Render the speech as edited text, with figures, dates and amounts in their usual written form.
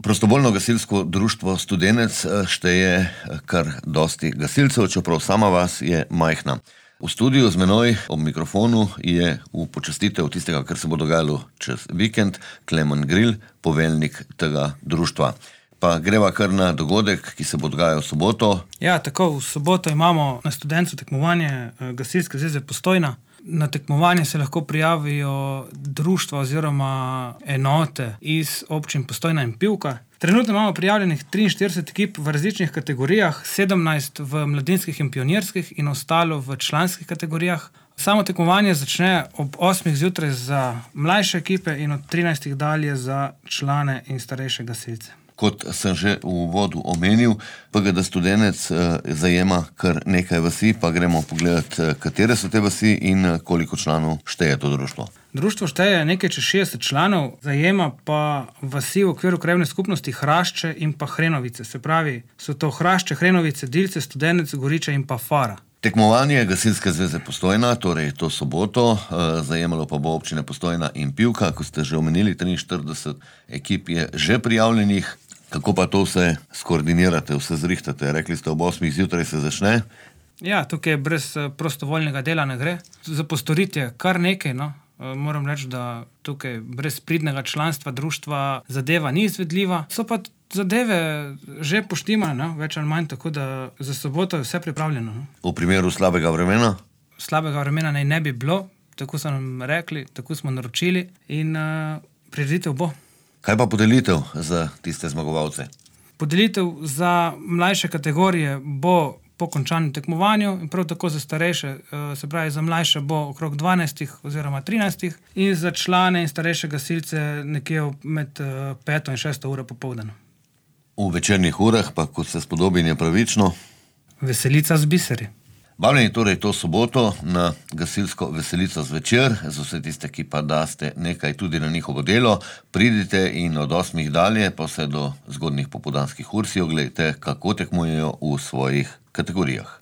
Prostovoljno gasilsko društvo Studenec šteje kar dosti gasilcev, čeprav sama vas je majhna. V studiu z menoj ob mikrofonu je v počastitev tistega, kar se bo dogajalo čez vikend, Klemen Gril, poveljnik tega društva. Pa greva kar na dogodek, ki se bo dogajal v soboto. Ja, tako, v soboto imamo na Studencu tekmovanje Gasilske zveze Postojna. Na tekmovanje se lahko prijavijo društva oziroma enote iz občin Postojna in Pivka. Trenutno imamo prijavljenih 43 ekip v različnih kategorijah, 17 v mladinskih in pionirskih in ostalo v članskih kategorijah. Samo tekmovanje začne ob 8 zjutraj za mlajše ekipe in od 13 dalje za člane in starejše gasilce. Kot sem že v uvodu omenil, PGD Studenec zajema kar nekaj vasi, pa gremo pogledat, katere so te vasi in koliko članov šteje to društvo. Društvo šteje nekaj čez 60 članov, zajema pa vasi v okviru krajevne skupnosti Hrašče in pa Hrenovice. Se pravi, so to Hrašče, Hrenovice, Dilce, Studenec, Goriče in pa Fara. Tekmovanje Gasilske zveze Postojna, torej to soboto, zajemalo pa bo občine Postojna in Pivka, ko ste že omenili, 43 ekip je že prijavljenih. Kako pa to vse skoordinirate, vse zrihtate? Rekli ste, ob 8 zjutraj se začne. Ja, tukaj brez prostovoljnega dela ne gre. Za postoriti je kar nekaj, no. Moram reči, da tukaj brez pridnega članstva društva zadeva ni izvedljiva. So pa zadeve že poštimane, no? Več ali manj, tako da za soboto je vse pripravljeno. No? V primeru slabega vremena? Slabega vremena naj ne bi bilo, tako so nam rekli, tako smo naročili in prireditev bo. Kaj pa podelitev za tiste zmagovalce? Podelitev za mlajše kategorije bo po končanem tekmovanju in prav tako za starejše, se pravi za mlajše bo okrog 12 oziroma 13 in za člane in starejše gasilce nekje med 5 in 6 uro popoldan. V večernih urah pa, kot se spodobi in je pravično? Veselica z biseri. Vabljeni torej to soboto na gasilsko veselico zvečer, za vse tiste, ki pa daste nekaj tudi na njihovo delo, pridite in od 8 dalje pa vse do zgodnjih popoldanskih ur si oglejte, kako tekmujejo v svojih kategorijah.